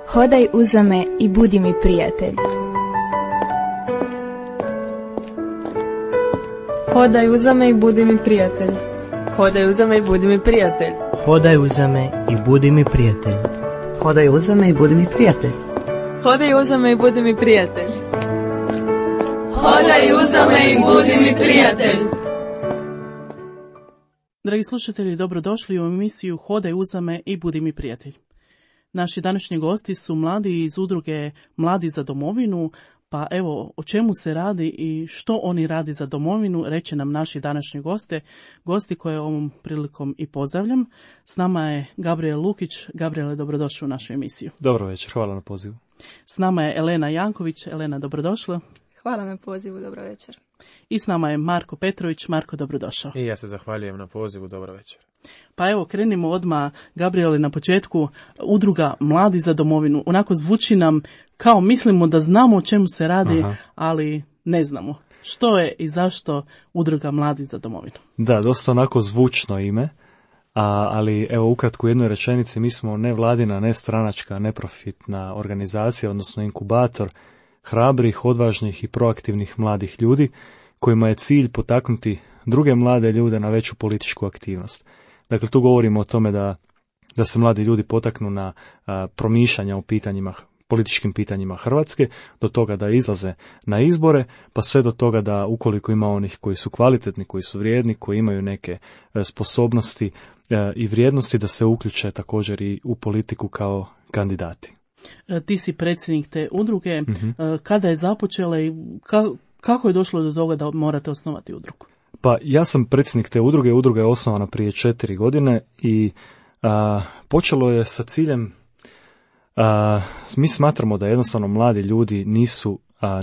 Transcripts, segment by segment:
Hodaj uza me i budi mi prijatelj. Hodaj uza me i budi mi prijatelj. Hodaj uza me i budi mi prijatelj. Hodaj uza me i budi mi prijatelj. Hodaj uza me i budi mi prijatelj. Hodaj uza me i budi mi prijatelj. Hodaj uza me i budi mi prijatelj. Dragi slušatelji, dobrodošli u emisiju Hodaj uza me i budi mi prijatelj. Naši današnji gosti su mladi iz udruge Mladi za domovinu, pa evo o čemu se radi i što oni radi za domovinu, reće nam naši današnji gosti koje ovom prilikom i pozdravljam. S nama je Gabriel Lukić. Gabriele, dobrodošli u našu emisiju. Dobro večer, hvala na pozivu. S nama je Elena Janković. Elena, dobrodošla. Hvala na pozivu, dobro večer. I s nama je Marko Petrović. Marko, dobrodošao. I ja se zahvaljujem na pozivu, dobro večer. Pa evo, krenimo odmah, Gabriele, na početku. Udruga Mladi za domovinu. Onako zvuči nam kao mislimo da znamo o čemu se radi, ali ne znamo. Što je i zašto Udruga Mladi za domovinu? Da, dosta onako zvučno ime, ali evo ukratko u jednoj rečenici, mi smo nevladina, nestranačka, neprofitna organizacija, odnosno inkubator hrabrih, odvažnih i proaktivnih mladih ljudi kojima je cilj potaknuti druge mlade ljude na veću političku aktivnost. Dakle, tu govorimo o tome da se mladi ljudi potaknu na promišljanja o političkim pitanjima Hrvatske, do toga da izlaze na izbore, pa sve do toga da ukoliko ima onih koji su kvalitetni, koji su vrijedni, koji imaju neke sposobnosti i vrijednosti, da se uključe također i u politiku kao kandidati. Ti si predsjednik te udruge. Kada je započela i kako je došlo do toga da morate osnovati udrugu? Pa ja sam predsjednik te udruge. Udruga je osnovana prije 4 godine i počelo je sa ciljem, mi smatramo da jednostavno mladi ljudi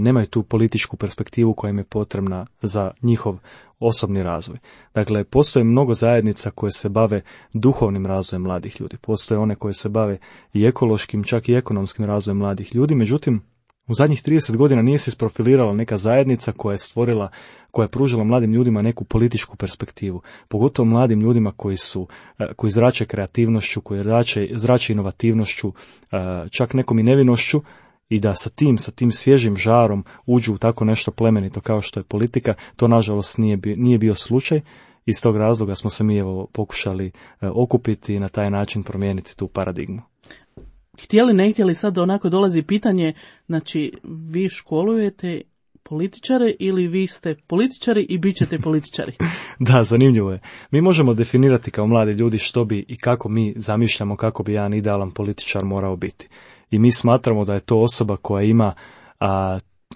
nemaju tu političku perspektivu koja im je potrebna za njihov osobni razvoj. Dakle, postoje mnogo zajednica koje se bave duhovnim razvojem mladih ljudi. Postoje one koje se bave i ekološkim, čak i ekonomskim razvojem mladih ljudi. Međutim, u zadnjih 30 godina nije se isprofilirala neka zajednica koja je pružila mladim ljudima neku političku perspektivu. Pogotovo mladim ljudima koji zrače kreativnošću, koji zrače inovativnošću, čak nekom i nevinošću, i da sa tim svježim žarom uđu u tako nešto plemenito kao što je politika. To nažalost nije bio slučaj. Iz tog razloga smo se mi pokušali okupiti i na taj način promijeniti tu paradigmu. Htjeli, ne htjeli, sad onako dolazi pitanje, znači vi školujete političare ili vi ste političari i bit ćete političari? Da, zanimljivo je. Mi možemo definirati kao mladi ljudi što bi i kako mi zamišljamo kako bi jedan idealan političar morao biti. I mi smatramo da je to osoba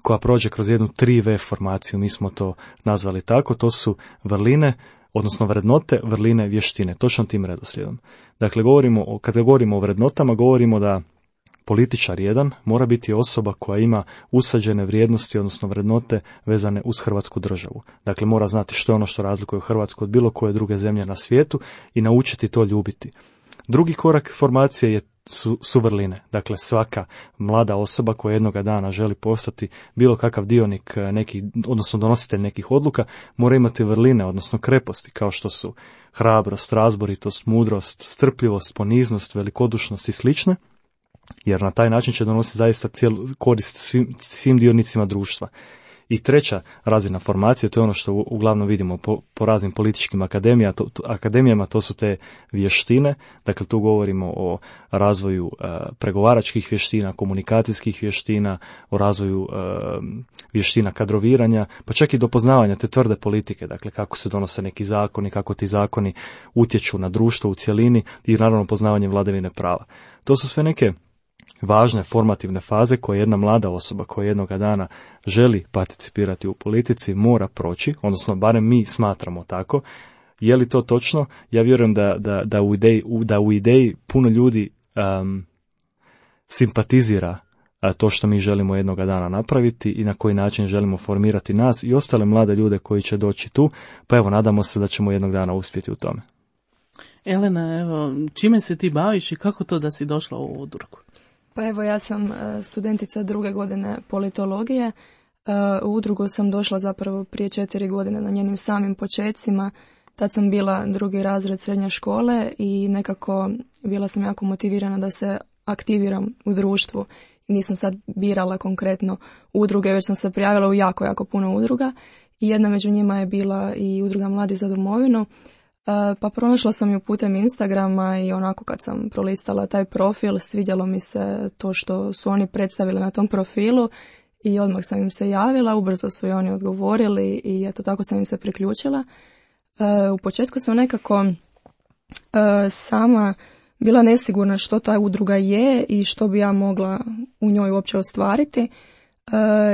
koja prođe kroz jednu 3V formaciju, mi smo to nazvali tako, to su vrline, odnosno vrednote, vrline, vještine, točno tim redoslijedom. Dakle, kada govorimo o vrednotama, govorimo da političar jedan mora biti osoba koja ima usađene vrijednosti, odnosno vrednote vezane uz Hrvatsku državu. Dakle, mora znati što je ono što razlikuje Hrvatsku od bilo koje druge zemlje na svijetu i naučiti to ljubiti. Drugi korak formacije su vrline. Dakle, svaka mlada osoba koja jednoga dana želi postati bilo kakav dionik odnosno donositelj nekih odluka, mora imati vrline, odnosno kreposti, kao što su hrabrost, razboritost, mudrost, strpljivost, poniznost, velikodušnost i slične, jer na taj način će donositi zaista korist svim dionicima društva. I treća razina formacije, to je ono što uglavnom vidimo po raznim političkim akademijama, to su te vještine. Dakle, tu govorimo o razvoju pregovaračkih vještina, komunikacijskih vještina, o razvoju vještina kadroviranja, pa čak i do poznavanja te tvrde politike, dakle kako se donose neki zakoni, kako ti zakoni utječu na društvo u cjelini i naravno poznavanje vladavine prava. To su sve neke važne formativne faze koje jedna mlada osoba koja jednoga dana želi participirati u politici mora proći, odnosno barem mi smatramo tako. Je li to točno? Ja vjerujem da u ideji puno ljudi simpatizira to što mi želimo jednoga dana napraviti i na koji način želimo formirati nas i ostale mlade ljude koji će doći tu, pa evo nadamo se da ćemo jednog dana uspjeti u tome. Elena, evo, čime se ti baviš i kako to da si došla u udrugu? Pa evo, ja sam studentica 2. godine politologije. U udrugu sam došla zapravo prije 4 godine na njenim samim počecima. Tad sam bila 2. razred srednje škole i nekako bila sam jako motivirana da se aktiviram u društvu. Nisam sad birala konkretno udruge, već sam se prijavila u jako puno udruga. I jedna među njima je bila i udruga Mladi za domovinu. Pa pronašla sam ju putem Instagrama i onako kad sam prolistala taj profil, svidjelo mi se to što su oni predstavili na tom profilu i odmah sam im se javila, ubrzo su i oni odgovorili i eto tako sam im se priključila. U početku sam nekako sama bila nesigurna što ta udruga je i što bi ja mogla u njoj uopće ostvariti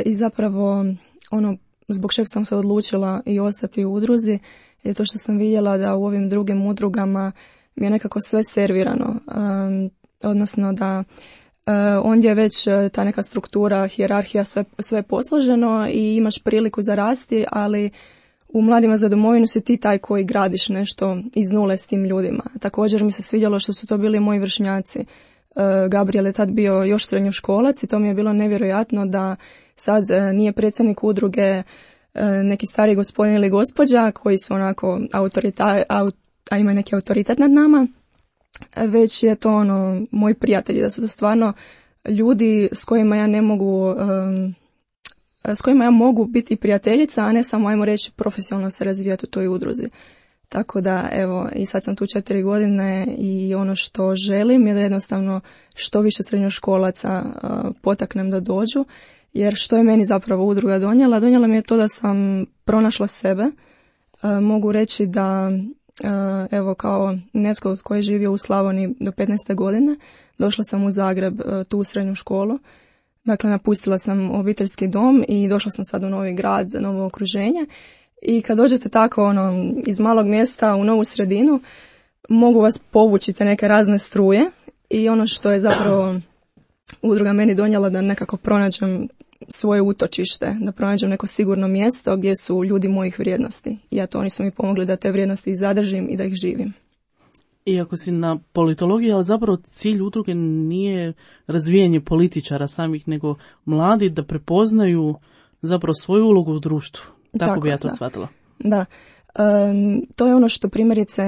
i zapravo ono zbog čeg sam se odlučila i ostati u udruzi je to što sam vidjela da u ovim drugim udrugama mi je nekako sve servirano, odnosno da ondje je već ta neka struktura, hijerarhija, sve posloženo i imaš priliku za rasti, ali u Mladima za domovinu si ti taj koji gradiš nešto iz nule s tim ljudima. Također mi se svidjelo što su to bili moji vršnjaci. Gabriel je tad bio još srednjoškolac i to mi je bilo nevjerojatno da sad nije predsjednik udruge neki stari gospodin ili gospođa koji su onako a imaju neki autoritet nad nama, već je to ono moji prijatelji, da su to stvarno ljudi s kojima ja ne mogu s kojima ja mogu biti prijateljica, a ne samo, ajmo reći, profesionalno se razvijati u toj udruzi. Tako da, evo, i sad sam tu 4 godine i ono što želim je da jednostavno što više srednjoškolaca potaknem da dođu, jer što je meni zapravo udruga donijela? Donijela mi je to da sam pronašla sebe. Mogu reći da, evo, kao netko koji je živio u Slavoniji do 15. godine, došla sam u Zagreb, tu u srednju školu. Dakle, napustila sam obiteljski dom i došla sam sad u novi grad, novo okruženje. I kad dođete tako iz malog mjesta u novu sredinu, mogu vas povući te neke razne struje i ono što je zapravo udruga meni donijela da nekako pronađem svoje utočište, da pronađem neko sigurno mjesto gdje su ljudi mojih vrijednosti. I eto, oni su mi pomogli da te vrijednosti zadržim i da ih živim. Iako si na politologiji, ali zapravo cilj udruge nije razvijanje političara samih, nego mladi da prepoznaju zapravo svoju ulogu u društvu. Tako bi ja to shvatila. Da. To je ono što primjerice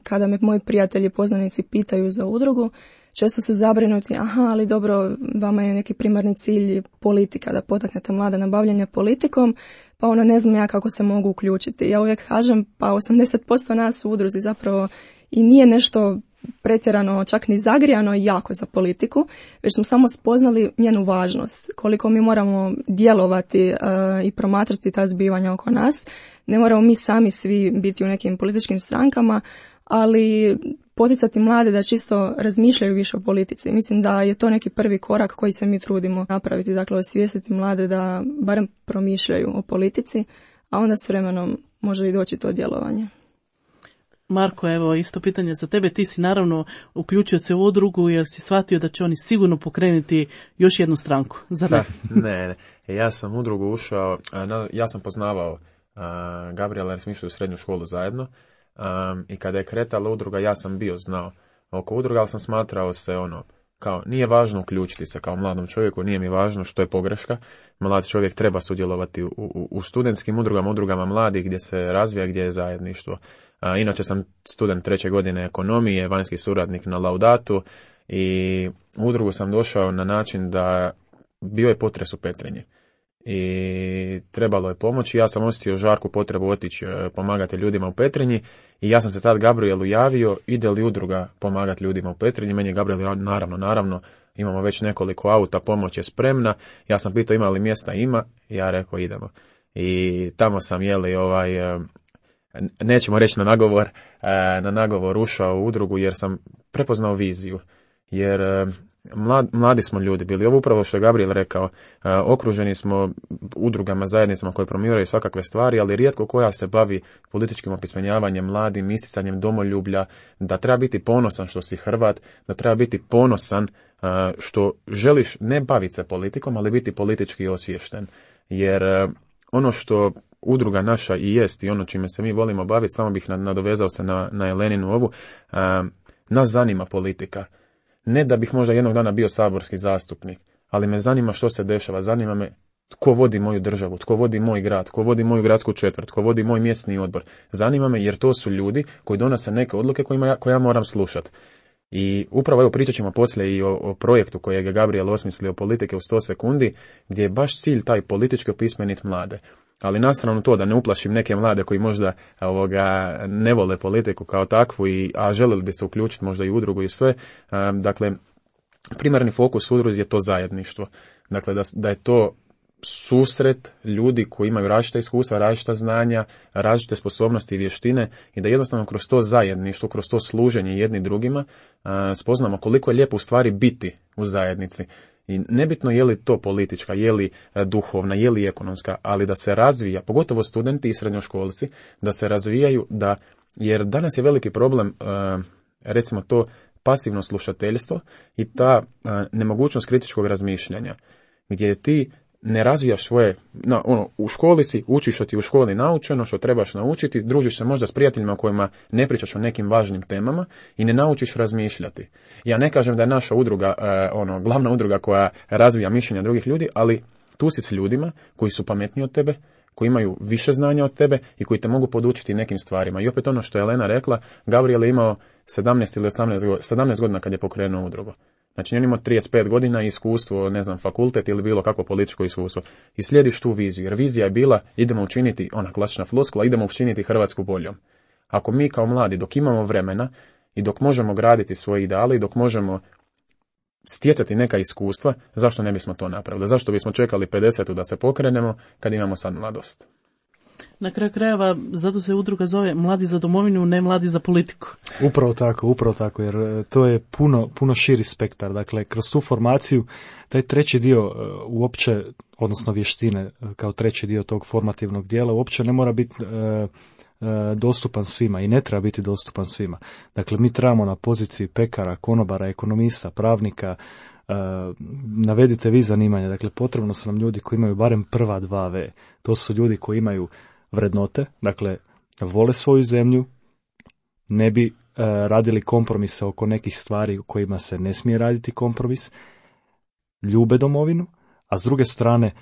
kada me moji prijatelji poznanici pitaju za udrugu, često su zabrinuti, ali dobro, vama je neki primarni cilj politika, da potaknete mlade na bavljenje politikom, pa ne znam ja kako se mogu uključiti. Ja uvijek kažem, pa 80% nas u udruzi zapravo i nije nešto pretjerano, čak ni zagrijano jako za politiku, već smo samo spoznali njenu važnost, koliko mi moramo djelovati i promatrati ta zbivanja oko nas. Ne moramo mi sami svi biti u nekim političkim strankama, ali poticati mlade da čisto razmišljaju više o politici. Mislim da je to neki prvi korak koji se mi trudimo napraviti, dakle osvijestiti mlade da barem promišljaju o politici, a onda s vremenom može i doći to djelovanje. Marko, evo isto pitanje za tebe. Ti si naravno uključio se u udrugu jer si shvatio da će oni sigurno pokrenuti još jednu stranku. Zar ne? Ne. Ja sam u udrugu ušao, ja sam poznavao Gabriela jer smo išli u srednju školu zajedno i kada je kretala udruga ja sam bio znao oko udruga, ali sam smatrao se kao nije važno uključiti se kao mladom čovjeku, nije mi važno što je pogreška. Mlad čovjek treba sudjelovati u studentskim udrugama mladih gdje se razvija, gdje je zajedništvo. Inače sam student 3. godine ekonomije, vanjski suradnik na Laudatu i u udrugu sam došao na način da bio je potres u Petrinji i trebalo je pomoći. Ja sam osjetio žarku potrebu otići pomagati ljudima u Petrinji i ja sam se tad Gabrielu javio, ide li udruga pomagati ljudima u Petrinji. Meni je Gabriel naravno, imamo već nekoliko auta, pomoć je spremna. Ja sam pitao ima li mjesta, ima, ja rekao idemo. I tamo sam nećemo reći na nagovor ušao u udrugu jer sam prepoznao viziju. Jer mladi smo ljudi bili. Ovo upravo što je Gabriel rekao, okruženi smo udrugama, zajednicama koje promoviraju svakakve stvari, ali rijetko koja se bavi političkim opismenjavanjem mladim, isticanjem domoljublja, da treba biti ponosan što si Hrvat, da treba biti ponosan što želiš ne baviti se politikom, ali biti politički osviješten. Jer ono što udruga naša i jest i ono čime se mi volimo baviti, samo bih nadovezao se na Eleninu ovu, nas zanima politika. Ne da bih možda jednog dana bio saborski zastupnik, ali me zanima što se dešava, zanima me tko vodi moju državu, tko vodi moj grad, tko vodi moju gradsku četvrt, tko vodi moj mjesni odbor. Zanima me jer to su ljudi koji donose neke odluke koje ja moram slušati. I upravo evo pričat ćemo poslije i o projektu kojeg je Gabriel osmislio, politike u 100 sekundi, gdje je baš cilj taj politički opismeniti mlade. Ali na stranu to da ne uplašim neke mlade koji možda ne vole politiku kao takvu, a želeli bi se uključiti možda i u udrugu i sve. Dakle, primarni fokus udruzi je to zajedništvo. Dakle, da je to susret ljudi koji imaju različita iskustva, različita znanja, različite sposobnosti i vještine i da jednostavno kroz to zajedništvo, kroz to služenje jedni drugima spoznamo koliko je lijepo u stvari biti u zajednici. I nebitno je li to politička, je li duhovna, je li ekonomska, ali da se razvija, pogotovo studenti i srednjoškolci, da se razvijaju, jer danas je veliki problem, recimo to pasivno slušateljstvo i ta nemogućnost kritičkog razmišljanja, gdje ti ne razvijaš svoje, u školi si, učiš što ti u školi naučeno, što trebaš naučiti, družiš se možda s prijateljima kojima ne pričaš o nekim važnim temama i ne naučiš razmišljati. Ja ne kažem da je naša udruga, glavna udruga koja razvija mišljenja drugih ljudi, ali tu si s ljudima koji su pametniji od tebe, koji imaju više znanja od tebe i koji te mogu podučiti nekim stvarima. I opet ono što je Elena rekla, Gabriel je imao 17 ili 17 godina kad je pokrenuo udrugu. Znači, on ima 35 godina i iskustvo, fakultet ili bilo kako političko iskustvo. I slijediš tu viziju, jer vizija je bila, idemo učiniti, ona klasična floskula, idemo učiniti Hrvatsku boljom. Ako mi kao mladi, dok imamo vremena i dok možemo graditi svoje ideale i dok možemo stjecati neka iskustva, zašto ne bismo to napravili? Zašto bismo čekali 50 da se pokrenemo kad imamo sad mladost? Na kraju krajeva, zato se udruga zove Mladi za domovinu, ne Mladi za politiku. Upravo tako, jer to je puno širi spektar. Dakle, kroz tu formaciju, taj treći dio uopće, odnosno vještine, kao treći dio tog formativnog dijela, uopće ne mora biti dostupan svima i ne treba biti dostupan svima. Dakle, mi trebamo na poziciji pekara, konobara, ekonomista, pravnika, navedite vi zanimanja. Dakle, potrebno su nam ljudi koji imaju barem prva 2V. To su ljudi koji imaju vrednote, dakle, vole svoju zemlju, ne bi radili kompromise oko nekih stvari u kojima se ne smije raditi kompromis, ljube domovinu, a s druge strane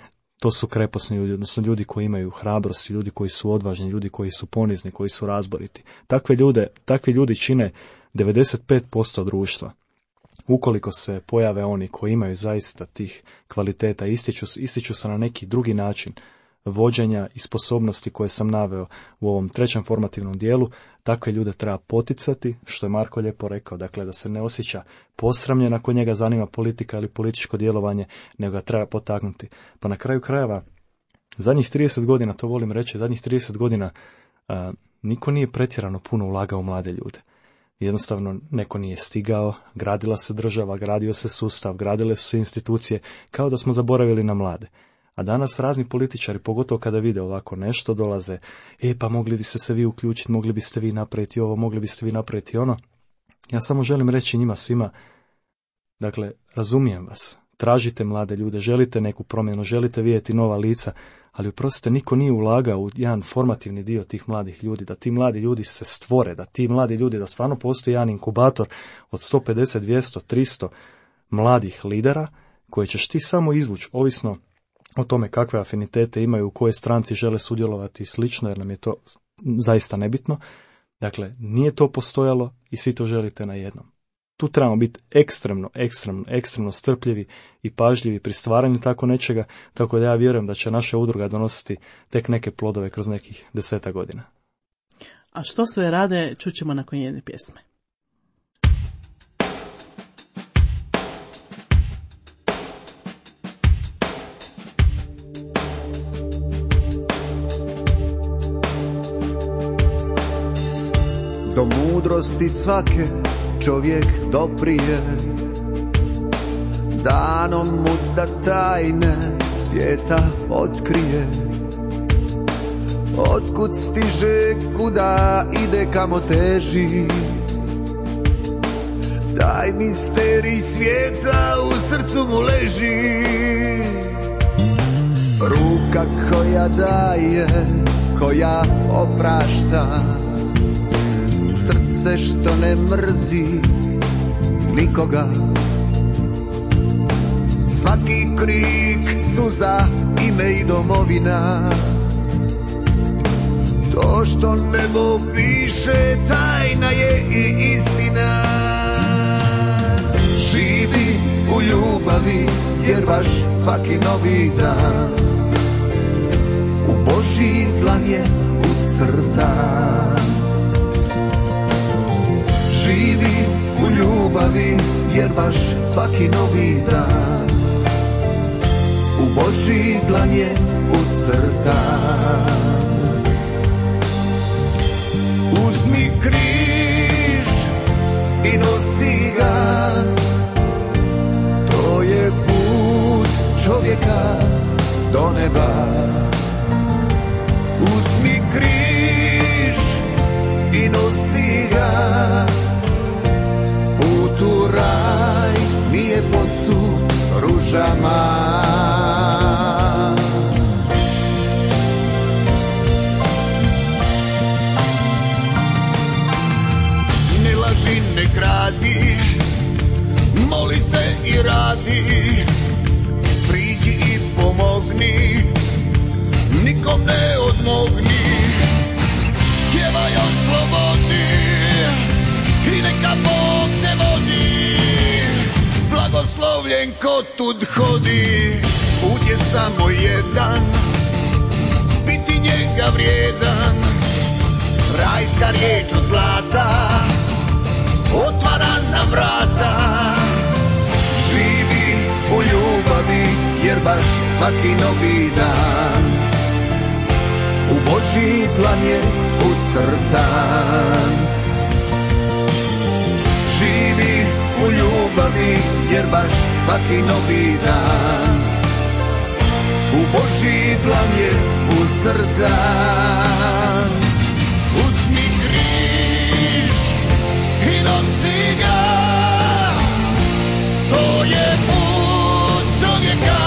to su kreposni ljudi, odnosno ljudi koji imaju hrabrost, ljudi koji su odvažni, ljudi koji su ponizni, koji su razboriti. Takvi ljudi čine 95% društva. Ukoliko se pojave oni koji imaju zaista tih kvaliteta, ističu se na neki drugi način vođenja i sposobnosti koje sam naveo u ovom trećem formativnom dijelu, takve ljude treba poticati, što je Marko lijepo rekao, dakle da se ne osjeća posramljen ako njega zanima politika ili političko djelovanje, nego ga treba potaknuti. Pa na kraju krajeva, zadnjih 30 godina, to volim reći, zadnjih 30 godina niko nije pretjerano puno ulagao u mlade ljude. Jednostavno neko nije stigao, gradila se država, gradio se sustav, gradile su se institucije, kao da smo zaboravili na mlade. A danas razni političari, pogotovo kada vide ovako nešto, dolaze, pa mogli biste se vi uključiti, mogli biste vi napraviti ovo, mogli biste vi napraviti ono. Ja samo želim reći njima svima, dakle, razumijem vas, tražite mlade ljude, želite neku promjenu, želite vidjeti nova lica, ali oprostite, niko nije ulagao u jedan formativni dio tih mladih ljudi, da ti mladi ljudi se stvore, da ti mladi ljudi, da stvarno postoji jedan inkubator od 150, 200, 300 mladih lidera koje ćeš ti samo izvući, ovisno o tome kakve afinitete imaju, u kojoj stranci žele sudjelovati i slično, jer nam je to zaista nebitno. Dakle, nije to postojalo i svi to želite na jednom. Tu trebamo biti ekstremno strpljivi i pažljivi pri stvaranju tako nečega, tako da ja vjerujem da će naša udruga donositi tek neke plodove kroz nekih 10 godina. A što sve rade, čućemo nakon jedne pjesme. Do mudrosti svake čovjek doprije, danom mu da tajne svijeta otkrije. Otkud stiže, kuda ide, kamo teži, taj misterij svijeta u srcu mu leži. Ruka koja daje, koja oprašta, srce što ne mrzi nikoga. Svaki krik, suza, ime i domovina. To što nebo piše tajna je i istina. jer baš svaki novi dan u Božji dlan je ucrtan. Živi u ljubavi, jer baš svaki novi dan u Božji dlan je ucrtan. Uzmi križ i nosi ga, to je put čovjeka do neba. Uzmi križ i nosi ga, put u raj nije posut ružama. Ne laži, ne kradi, moli se i radi, priđi i pomogni, nikom ne odmogni, pjevaj o slobodi i neka Bog te vodi. Blagoslovljen ko tud hodi, put je samo jedan, biti njega vrijedan. Rajska riječ od zlata otvara nam vrata. Živi u ljubavi, jer baš svaki novi dan u Božji dlan je ucrtan. Živi u ljubavi, jer baš svaki novi dan u Božji dlan je ucrtan. Uzmi križ i nosi ga, to je put čovjeka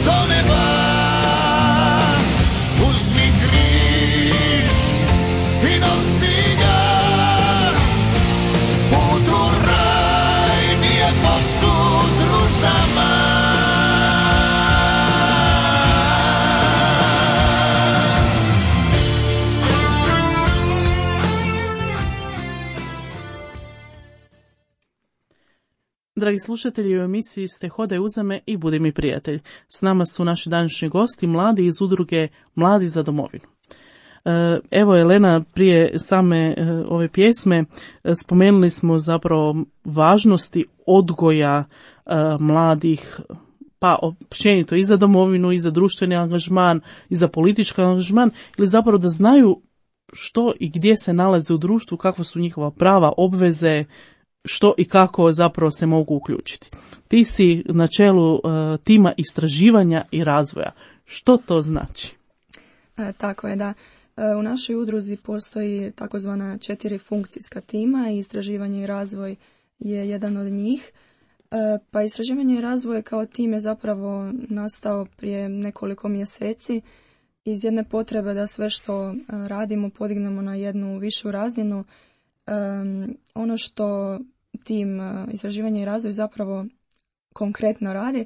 do neba. Uzmi križ i nosi ga, put u raj nije posut ružama. Dragi slušatelji, u emisiji ste Hodaj uza me i budi mi prijatelj. S nama su naši današnji gosti, mladi iz udruge Mladi za domovinu. Evo, Elena, prije same ove pjesme spomenuli smo zapravo važnosti odgoja mladih, pa općenito i za domovinu, i za društveni angažman, i za politički angažman, ili zapravo da znaju što i gdje se nalaze u društvu, kakva su njihova prava, obveze, što i kako zapravo se mogu uključiti. Ti si na čelu tima istraživanja i razvoja. Što to znači? Tako je, da. U našoj udruzi postoji takozvana 4 funkcijska tima i istraživanje i razvoj je jedan od njih. Pa istraživanje i razvoj kao tim je zapravo nastao prije nekoliko mjeseci iz jedne potrebe da sve što radimo podignemo na jednu višu razinu. Ono što tim istraživanje i razvoj zapravo konkretno radi,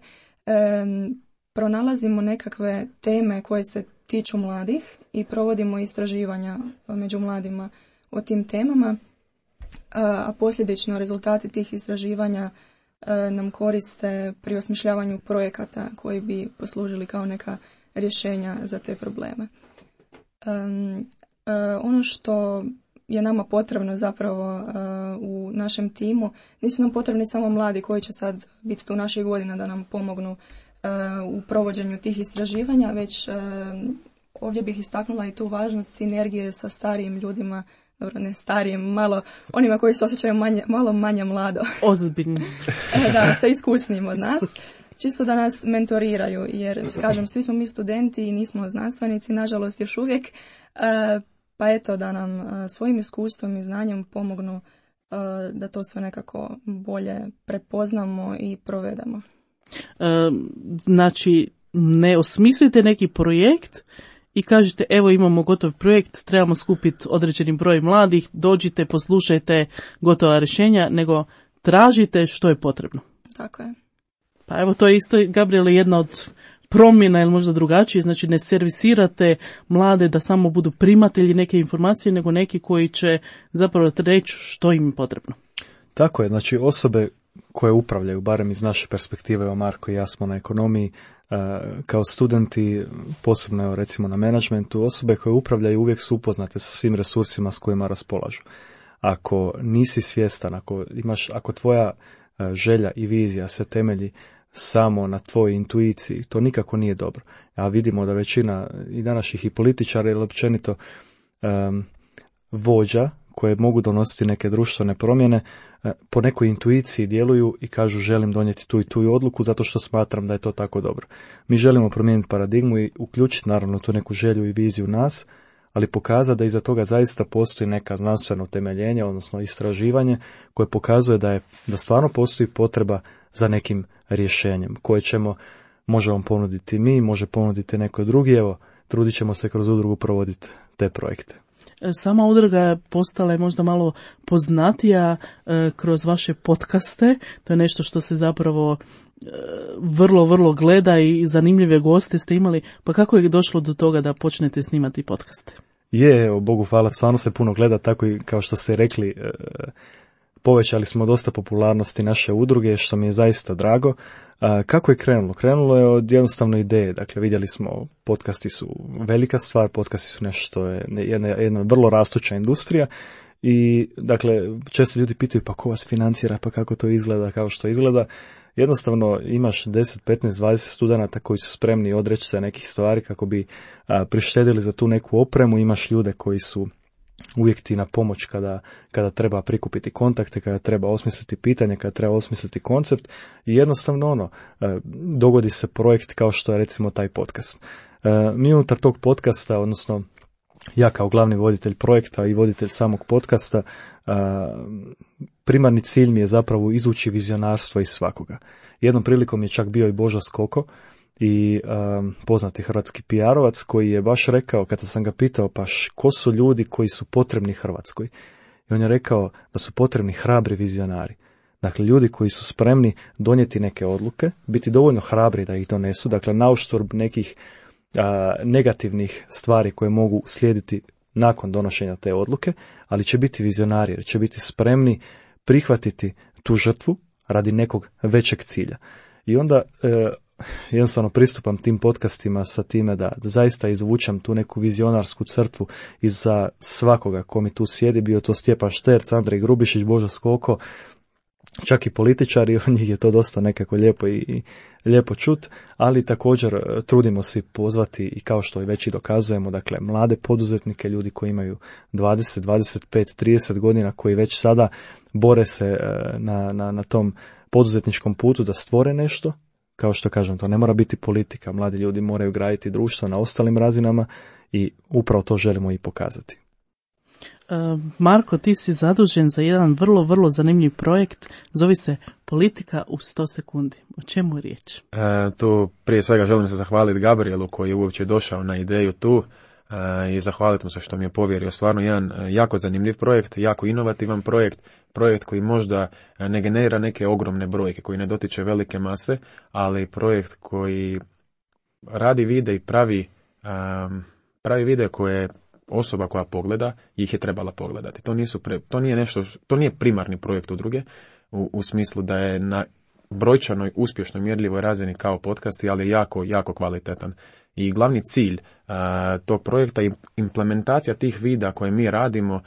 pronalazimo nekakve teme koje se tiču mladih i provodimo istraživanja među mladima o tim temama, a posljedično rezultati tih istraživanja nam koriste pri osmišljavanju projekata koji bi poslužili kao neka rješenja za te probleme. Ono što je nama potrebno zapravo u našem timu, nisu nam potrebni samo mladi koji će sad biti tu naših godina da nam pomognu u provođenju tih istraživanja, već ovdje bih istaknula i tu važnost sinergije sa starijim ljudima, dobro, ne starijim, malo onima koji se osjećaju malo manje mlado. Ozbiljni. Da, sa iskusnijim od nas. Čisto da nas mentoriraju, jer, kažem, svi smo mi studenti i nismo znanstvenici, nažalost još uvijek, pa eto da nam svojim iskustvom i znanjem pomognu da to sve nekako bolje prepoznamo i provedemo. Znači, ne osmislite neki projekt i kažete evo imamo gotov projekt, trebamo skupiti određeni broj mladih, dođite, poslušajte gotova rješenja, nego tražite što je potrebno. Tako je. Pa evo to je isto, Gabriele, jedna od promjena ili možda drugačije, znači ne servisirate mlade da samo budu primatelji neke informacije, nego neki koji će zapravo reći što im je potrebno. Tako je, znači osobe koje upravljaju, barem iz naše perspektive, evo Marko i ja smo na ekonomiji, kao studenti, posebno recimo na menadžmentu, osobe koje upravljaju uvijek su upoznate sa svim resursima s kojima raspolažu. Ako nisi svjestan, ako tvoja želja i vizija se temelji samo na tvojoj intuiciji, to nikako nije dobro. A vidimo da većina i današnjih i političara ili općenito vođa koje mogu donositi neke društvene promjene po nekoj intuiciji djeluju i kažu želim donijeti tu i tu odluku zato što smatram da je to tako dobro. Mi želimo promijeniti paradigmu i uključiti naravno tu neku želju i viziju nas, ali pokazati da iza toga zaista postoji neka znanstveno utemeljenje, odnosno istraživanje koje pokazuje da stvarno postoji potreba za nekim rješenjem koje možemo ponuditi mi, može ponuditi neko drugi. Evo, trudit ćemo se kroz udrugu provoditi te projekte. Sama udruga postala je možda malo poznatija kroz vaše podcaste. To je nešto što se zapravo vrlo, vrlo gleda i zanimljive goste ste imali. Pa kako je došlo do toga da počnete snimati podcaste? Evo, Bogu hvala, stvarno se puno gleda, tako i kao što ste rekli, povećali smo dosta popularnosti naše udruge, što mi je zaista drago. Kako je krenulo? Krenulo je od jednostavne ideje. Dakle, vidjeli smo, podcasti su velika stvar, podcasti su nešto, jedna vrlo rastuća industrija i, dakle, često ljudi pitaju pa ko vas financira, pa kako to izgleda, kao što izgleda. Jednostavno imaš 10, 15, 20 studenata koji su spremni odreći se nekih stvari kako bi prištedili za tu neku opremu. Imaš ljude koji su uvijek ti na pomoć kada treba prikupiti kontakte, kada treba osmisliti pitanje, kada treba osmisliti koncept i jednostavno dogodi se projekt kao što je recimo taj podcast. Mi unutar tog podcasta, odnosno ja kao glavni voditelj projekta i voditelj samog podcasta, primarni cilj mi je zapravo izvući vizionarstvo iz svakoga. Jednom prilikom je čak bio i Božo Skoko i poznati hrvatski PR-ovac koji je baš rekao, kada sam ga pitao pa ko su ljudi koji su potrebni Hrvatskoj, i on je rekao da su potrebni hrabri vizionari. Dakle, ljudi koji su spremni donijeti neke odluke, biti dovoljno hrabri da ih donesu, dakle nauštrb nekih negativnih stvari koje mogu slijediti nakon donošenja te odluke, ali će biti vizionari jer će biti spremni prihvatiti tu žrtvu radi nekog većeg cilja. I onda jednostavno pristupam tim podcastima sa time da zaista izvučem tu neku vizionarsku crtvu iza svakoga ko mi tu sjedi, bio to Stjepan Šterc, Andrej Grubišić, Božo Skoko, čak i političari, od njih je to dosta nekako lijepo i lijepo čut, ali također trudimo se pozvati i kao što i već i dokazujemo, dakle, mlade poduzetnike, ljudi koji imaju 20, 25, 30 godina, koji već sada bore se na tom poduzetničkom putu da stvore nešto. Kao što kažem, to ne mora biti politika, mladi ljudi moraju graditi društvo na ostalim razinama i upravo to želimo i pokazati. Marko, ti si zadužen za jedan vrlo, vrlo zanimljiv projekt, zove se Politika u 100 sekundi. O čemu je riječ? Tu prije svega želim se zahvaliti Gabrielu koji je uopće došao na ideju tu i zahvaliti mu se što mi je povjerio. Stvarno jedan jako zanimljiv projekt, jako inovativan projekt koji možda ne generira neke ogromne brojke, koji ne dotiče velike mase, ali projekt koji radi vide i pravi vide koje osoba koja pogleda ih je trebala pogledati. To nije primarni projekt udruge u smislu da je na brojčanoj, uspješnoj, mjerljivoj razini kao podcast, ali je jako, jako kvalitetan. I glavni cilj tog projekta je implementacija tih videa koje mi radimo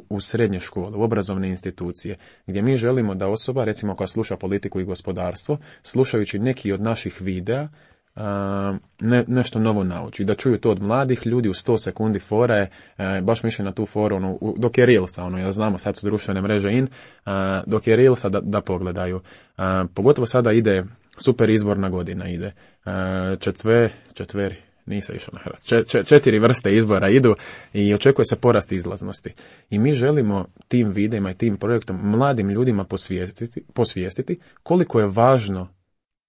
u srednje škole, u obrazovne institucije, gdje mi želimo da osoba, recimo koja sluša politiku i gospodarstvo, slušajući neki od naših videa, nešto novo nauči. Da čuju to od mladih ljudi u 100 sekundi. Fora je, baš mi išli na tu foru, dok je Reelsa, ja znamo, sad su društvene mreže dok je Reelsa da pogledaju. Pogotovo sada ide super izborna godina, ide nisam išao na Hrvatsku. 4 vrste izbora idu i očekuje se porast izlaznosti. I mi želimo tim videima i tim projektom mladim ljudima posvijestiti koliko je važno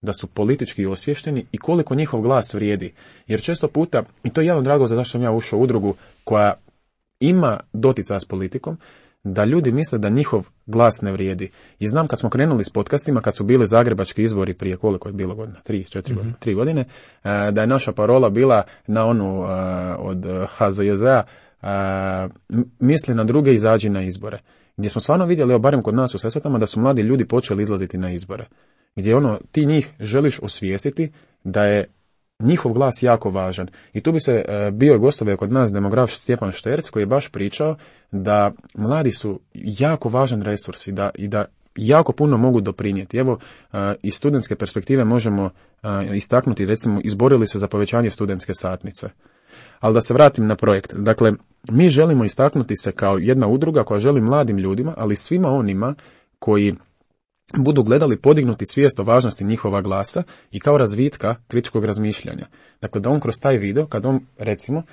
da su politički osviješteni i koliko njihov glas vrijedi. Jer često puta, i to je jedan od razloga zašto sam ja ušao u udrugu koja ima doticaja s politikom, da ljudi misle da njihov glas ne vrijedi. I znam kad smo krenuli s podcastima, kad su bili zagrebački izbori prije koliko je bilo godina, 3 godine, da je naša parola bila na onu od HZJZ-a, misli na druge, izađi na izbore. gdje smo stvarno vidjeli, evo barem kod nas u Sesvetama, da su mladi ljudi počeli izlaziti na izbore. Gdje ti njih želiš osvijestiti da je njihov glas jako važan. I tu bi se bio gostovio kod nas demograf Stjepan Šterc, koji je baš pričao da mladi su jako važan resurs i da jako puno mogu doprinijeti. Evo, iz studentske perspektive možemo istaknuti, recimo, izborili se za povećanje studentske satnice. Ali da se vratim na projekt. Dakle, mi želimo istaknuti se kao jedna udruga koja želi mladim ljudima, ali svima onima koji budu gledali podignuti svijest o važnosti njihova glasa i kao razvitka kritičkog razmišljanja. Dakle, da on kroz taj video, kad on, recimo,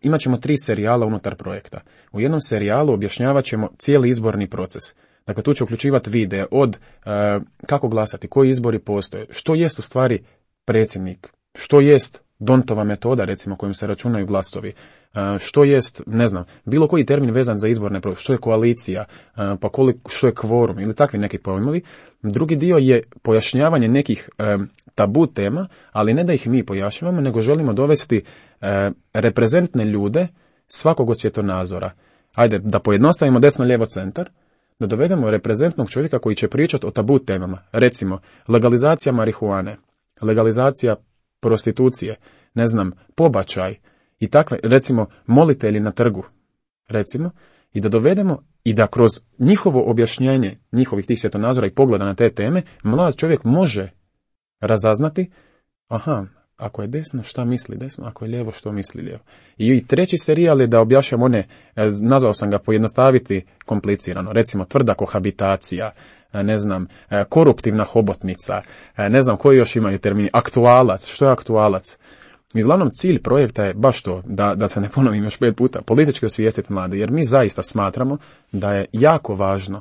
imat ćemo 3 serijala unutar projekta. U jednom serijalu objašnjavat ćemo cijeli izborni proces. Dakle, tu će uključivati videe od kako glasati, koji izbori postoje, što jest u stvari predsjednik, što jest Dontova metoda, recimo, kojim se računaju glasovi, što jest, ne znam, bilo koji termin vezan za izborne procese, što je koalicija, pa što je kvorum ili takvi neki pojmovi. Drugi dio je pojašnjavanje nekih tabu tema, ali ne da ih mi pojašnjavamo, nego želimo dovesti reprezentne ljude svakog od svjetonazora. Ajde, da pojednostavimo desno, lijevo, centar, da dovedemo reprezentnog čovjeka koji će pričati o tabu temama. Recimo, legalizacija marihuane, legalizacija prostitucije, ne znam, pobačaj i takve, recimo, molitelji na trgu, recimo, i da dovedemo i da kroz njihovo objašnjenje njihovih tih svjetonazora i pogleda na te teme, mlad čovjek može razaznati, aha, ako je desno, šta misli desno, ako je lijevo, što misli lijevo. I treći serijal je da objašnjam one, nazvao sam ga pojednostaviti komplicirano, recimo tvrda kohabitacija, ne znam, koruptivna hobotnica, ne znam koji još imaju termini, aktualac, što je aktualac. I uglavnom cilj projekta je baš to, da se ne ponovim još 5 puta, politički osvijestiti mlade, jer mi zaista smatramo da je jako važno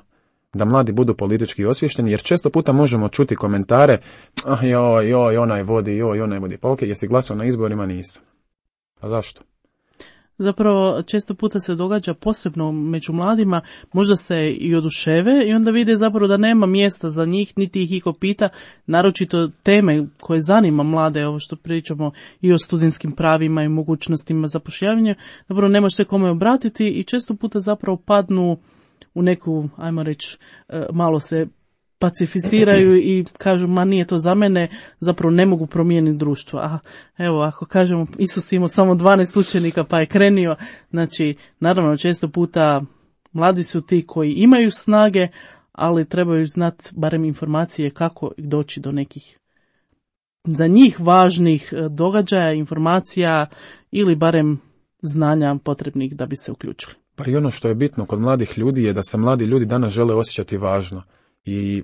da mladi budu politički osviješteni, jer često puta možemo čuti komentare, joj, onaj vodi, pa ok, jesi glasao na izborima? Nisam. A zašto? Zapravo, često puta se događa, posebno među mladima, možda se i oduševe i onda vide zapravo da nema mjesta za njih, niti ih iko pita, naročito teme koje zanima mlade, ovo što pričamo i o studentskim pravima i mogućnostima zapošljavanja, zapravo nemaš se kome obratiti i često puta zapravo padnu u neku, ajmo reći, malo se pacificiraju i kažu, ma nije to za mene, zapravo ne mogu promijeniti društvo. A evo, ako kažemo, Isus imao samo 12 učenika pa je krenio, znači, naravno, često puta mladi su ti koji imaju snage, ali trebaju znati barem informacije kako doći do nekih za njih važnih događaja, informacija ili barem znanja potrebnih da bi se uključili. Pa i ono što je bitno kod mladih ljudi je da se mladi ljudi danas žele osjećati važno. I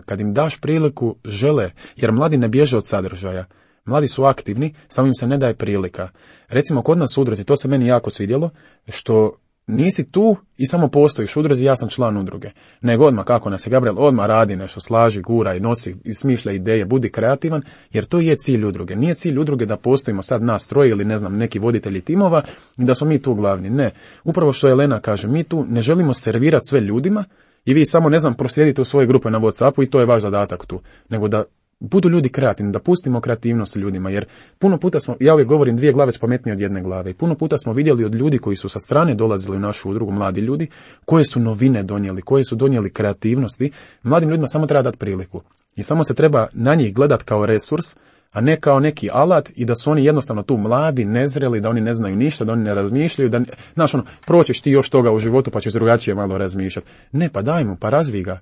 kad im daš priliku, žele, jer mladi ne bježe od sadržaja. Mladi su aktivni, samo im se ne daje prilika. Recimo kod nas u udruzi, to se meni jako svidjelo, što nisi tu i samo postojiš u udruzi, ja sam član udruge. Nego odmah, kako nas je Gabriel, odmah radi nešto, slaži, gura i nosi i smišlja ideje, budi kreativan, jer to je cilj udruge. Nije cilj udruge da postojimo sad nas troje ili ne znam neki voditelji timova i da smo mi tu glavni. Ne, upravo što Elena kaže, mi tu ne želimo servirati sve ljudima i vi samo, ne znam, proslijedite u svoje grupe na WhatsAppu i to je vaš zadatak tu, nego da budu ljudi kreativni, da pustimo kreativnost ljudima, jer puno puta smo, ja uvijek govorim, 2 glave su pametnije od 1 glave i puno puta smo vidjeli od ljudi koji su sa strane dolazili u našu udrugu, mladi ljudi, koje su novine donijeli, koje su donijeli kreativnosti. Mladim ljudima samo treba dati priliku i samo se treba na njih gledati kao resurs, a ne kao neki alat i da su oni jednostavno tu mladi, nezreli, da oni ne znaju ništa, da oni ne razmišljaju, da, znaš ono, proćeš ti još toga u životu pa ćeš drugačije malo razmišljati. Ne, pa daj mu, pa razvij ga.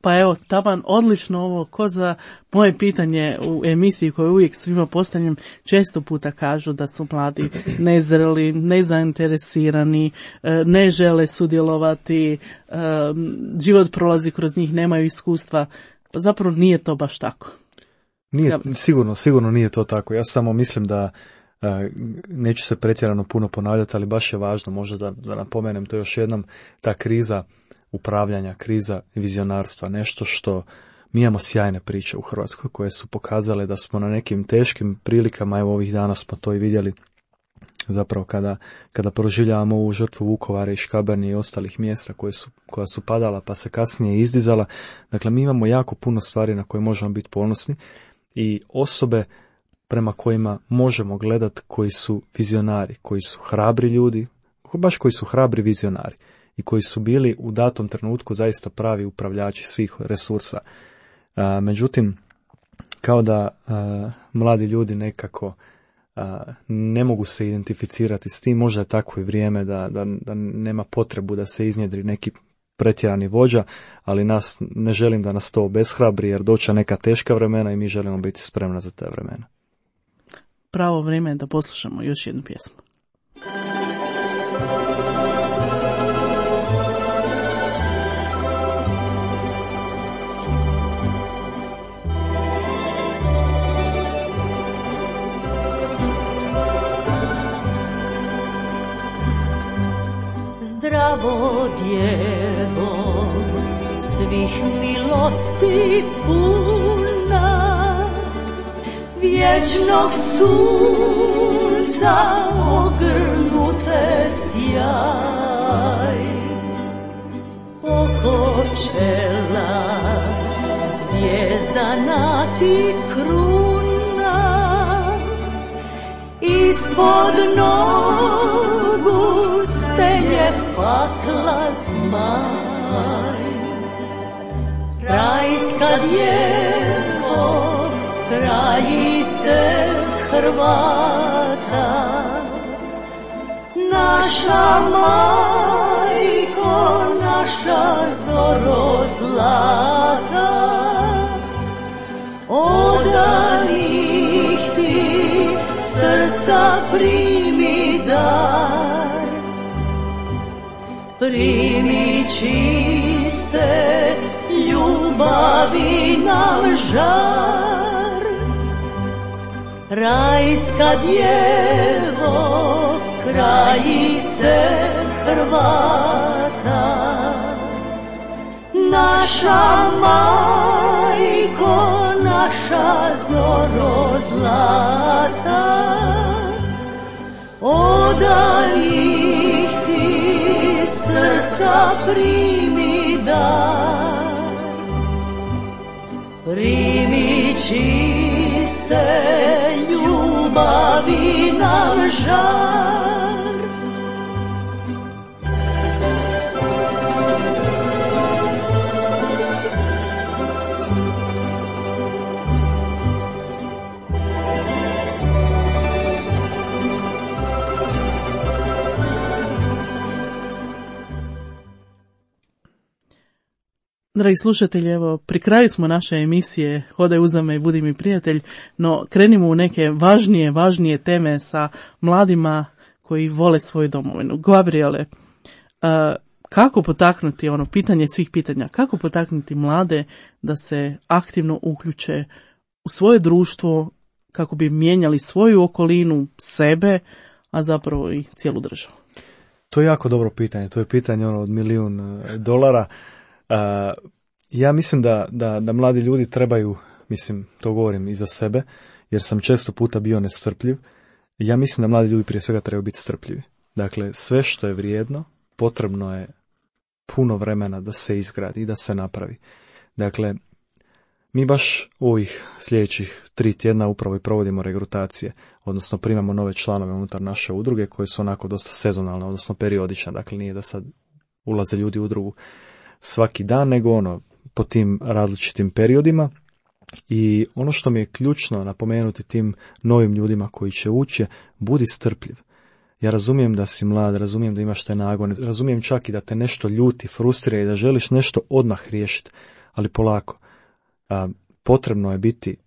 Pa evo, taman, odlično ovo, ko za moje pitanje u emisiji koju uvijek svima postavljam, često puta kažu da su mladi nezreli, nezainteresirani, ne žele sudjelovati, život prolazi kroz njih, nemaju iskustva. Zapravo nije to baš tako. Nije, sigurno nije to tako. Ja samo mislim da neću se pretjerano puno ponavljati, ali baš je važno možda da napomenem to još jednom, ta kriza upravljanja, kriza vizionarstva, nešto što mi imamo sjajne priče u Hrvatskoj koje su pokazale da smo na nekim teškim prilikama, evo ovih dana smo to i vidjeli, zapravo kada proživljavamo ovu žrtvu Vukovara i Škabrnje i ostalih mjesta koja su padala pa se kasnije izdizala. Dakle, mi imamo jako puno stvari na koje možemo biti ponosni i osobe prema kojima možemo gledati koji su vizionari, koji su hrabri ljudi, baš koji su hrabri vizionari. i koji su bili u datom trenutku zaista pravi upravljači svih resursa. Međutim, kao da mladi ljudi nekako ne mogu se identificirati s tim, možda je takvo i vrijeme da nema potrebu da se iznjedri neki pretjerani vođa, ali ne želim da nas to obeshrabri, jer doća neka teška vremena i mi želimo biti spremni za te vremena. Pravo vrijeme je da poslušamo još jednu pjesmu. Zdravo djevo, svih milosti puna, vječnog sunca ogrnute sjaj, oko čela zvijezdana ti kruna, ispod nogu stenje pakla zmaj. Rajska djevo, krajice Hrvata, naša majko, naša zoro zlata, odanih ti srca primi dar, primi čiste ljubavi nam žar. Rajska djevo, krajice Hrvata, naša majko, naša zoro zlata, odanih ti srca primi dar, primi čiste ljubavi nam žar. Dragi slušatelji, evo, pri kraju smo naše emisije Hodaj uza me i budi mi prijatelj, no krenimo u neke važnije teme sa mladima koji vole svoju domovinu. Gabriele, kako potaknuti, pitanje svih pitanja, kako potaknuti mlade da se aktivno uključe u svoje društvo kako bi mijenjali svoju okolinu, sebe, a zapravo i cijelu državu? To je jako dobro pitanje, to je pitanje od $1.000.000. Ja mislim da mladi ljudi trebaju, to govorim i za sebe, jer sam često puta bio nestrpljiv. Ja mislim da mladi ljudi prije svega trebaju biti strpljivi. Dakle, sve što je vrijedno, potrebno je puno vremena da se izgradi i da se napravi. Dakle, mi baš ovih sljedećih 3 tjedna upravo i provodimo regrutacije, odnosno primamo nove članove unutar naše udruge koje su onako dosta sezonalne, odnosno periodične. Dakle, nije da sad ulaze ljudi u udrugu svaki dan, nego po tim različitim periodima. I ono što mi je ključno napomenuti tim novim ljudima koji će ući, budi strpljiv. Ja razumijem da si mlad, razumijem da imaš te nagone, razumijem čak i da te nešto ljuti, frustrira i da želiš nešto odmah riješiti, ali polako. Potrebno je biti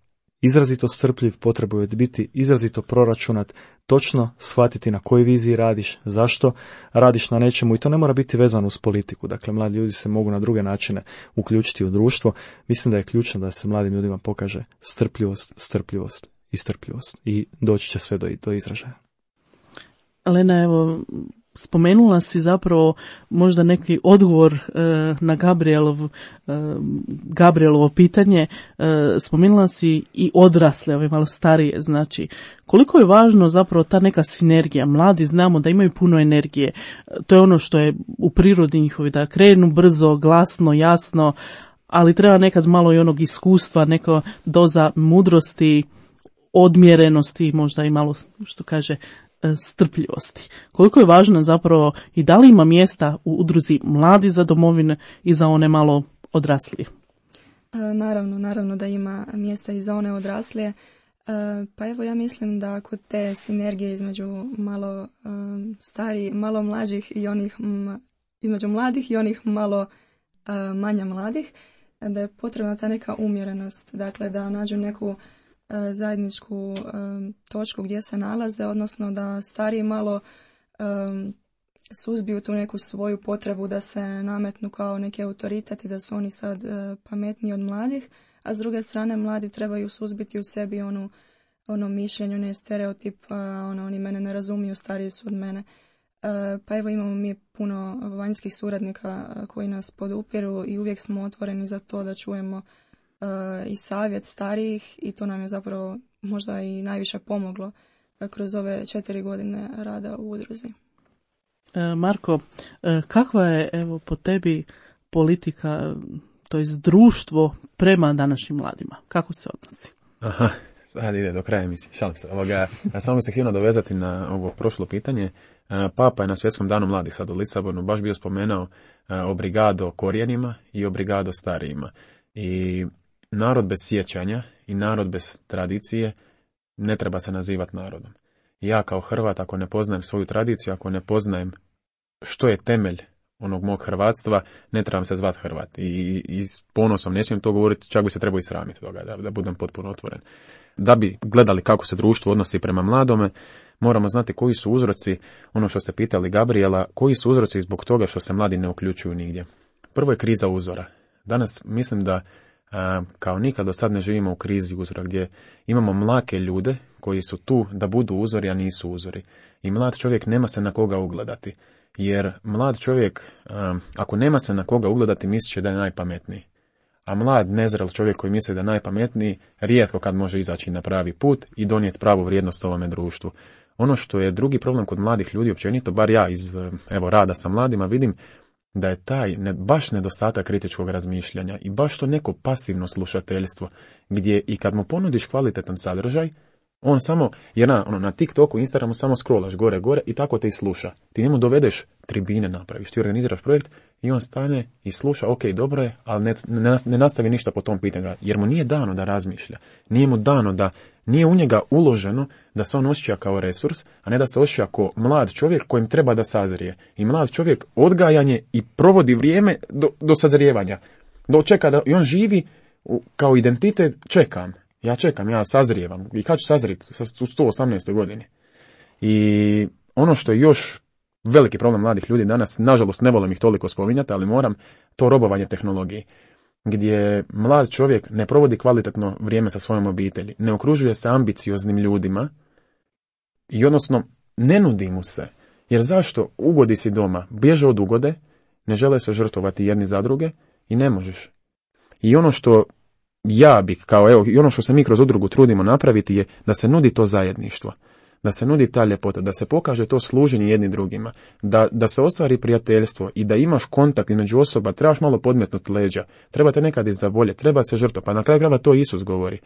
izrazito strpljiv, potrebno je biti izrazito proračunat, točno shvatiti na kojoj viziji radiš, zašto radiš na nečemu, i to ne mora biti vezano uz politiku. Dakle, mladi ljudi se mogu na druge načine uključiti u društvo. Mislim da je ključno da se mladim ljudima pokaže strpljivost i doći će sve do izražaja. Lena, evo, spomenula si zapravo možda neki odgovor na Gabrielovo pitanje. Spomenula si i odrasle, ove malo starije. Znači, koliko je važno zapravo ta neka sinergija. Mladi znamo da imaju puno energije. To je ono što je u prirodi njihovi, da krenu brzo, glasno, jasno, ali treba nekad malo i onog iskustva, neka doza mudrosti, odmjerenosti, možda i malo, što kaže, strpljivosti. Koliko je važno zapravo i da li ima mjesta u udruzi Mladi za domovinu i za one malo odraslije? Naravno da ima mjesta i za one odraslije. Pa evo ja mislim da kod te sinergije između malo starih, malo mlađih i onih između mladih i onih malo manje mladih, da je potrebna ta neka umjerenost, dakle da nađu neku zajedničku točku gdje se nalaze, odnosno da stariji malo suzbiju tu neku svoju potrebu da se nametnu kao neki autoritet i da su oni sad pametniji od mladih, a s druge strane mladi trebaju suzbiti u sebi ono mišljenje, ne stereotip, oni mene ne razumiju, stariji su od mene. Pa evo imamo mi puno vanjskih suradnika koji nas podupiru i uvijek smo otvoreni za to da čujemo i savjet starijih i to nam je zapravo možda i najviše pomoglo kroz ove 4 godine rada u udruzi. Marko, kakva je evo po tebi politika, to jest društvo prema današnjim mladima? Kako se odnosi? Aha, sad ide do kraja emisije, šalim se. Ja samo bih se htio nadovezati na ovo prošlo pitanje. Papa je na Svjetskom danu mladih sad u Lisabonu baš bio spomenuo obrigado korijenima i obrigado starijima. I narod bez sjećanja i narod bez tradicije ne treba se nazivati narodom. Ja kao Hrvat, ako ne poznajem svoju tradiciju, ako ne poznajem što je temelj onog mog hrvatstva, ne trebam se zvati Hrvat. I s ponosom ne smijem to govoriti, čak bi se trebao i sramiti toga, da budem potpuno otvoren. Da bi gledali kako se društvo odnosi prema mladome, moramo znati koji su uzroci, ono što ste pitali Gabriela, koji su uzroci zbog toga što se mladi ne uključuju nigdje. Prvo je kriza uzora. Danas mislim da kao nikad do sad ne živimo u krizi uzora, gdje imamo mlake ljude koji su tu da budu uzori, a nisu uzori. I mlad čovjek nema se na koga ugledati. Jer mlad čovjek, ako nema se na koga ugledati, mislit će da je najpametniji. A mlad, nezrel čovjek koji misli da je najpametniji, rijetko kad može izaći na pravi put i donijeti pravu vrijednost ovome društvu. Ono što je drugi problem kod mladih ljudi, općenito, bar ja iz rada sa mladima vidim, da je taj baš nedostatak kritičkog razmišljanja i baš to neko pasivno slušateljstvo, gdje i kad mu ponudiš kvalitetan sadržaj, on samo, jer na TikToku, Instagramu samo scrollaš gore i tako te i sluša. Ti njemu dovedeš tribine, napraviš, ti organiziraš projekt i on stane i sluša, ok, dobro je, ali ne nastavi ništa po tom pitanju, jer mu nije dano da razmišlja. Nije mu dano da, nije u njega uloženo da se on osjeća kao resurs, a ne da se osjeća kao mlad čovjek kojem treba da sazrije. I mlad čovjek odgajanje i provodi vrijeme do sazrijevanja. Čeka da i on živi kao identitet, ja sazrijevam. I kad ću sazrijeti? U 118. godini. I ono što je još veliki problem mladih ljudi danas, nažalost ne volim ih toliko spominjati, ali moram, to robovanje tehnologiji. Gdje mlad čovjek ne provodi kvalitetno vrijeme sa svojom obitelji, ne okružuje se ambicioznim ljudima i odnosno ne nudi mu se. Jer zašto? Ugodi si doma, bježe od ugode, ne žele se žrtvovati jedni za druge i ne možeš. I ono što ja bih, i ono što se mi kroz udrugu trudimo napraviti je da se nudi to zajedništvo, da se nudi ta ljepota, da se pokaže to služenje jedni drugima, da se ostvari prijateljstvo i da imaš kontakt između osoba, trebaš malo podmetnuti leđa, treba te nekad izavolje, treba se žrtvovati, pa na kraju krajeva to Isus govori.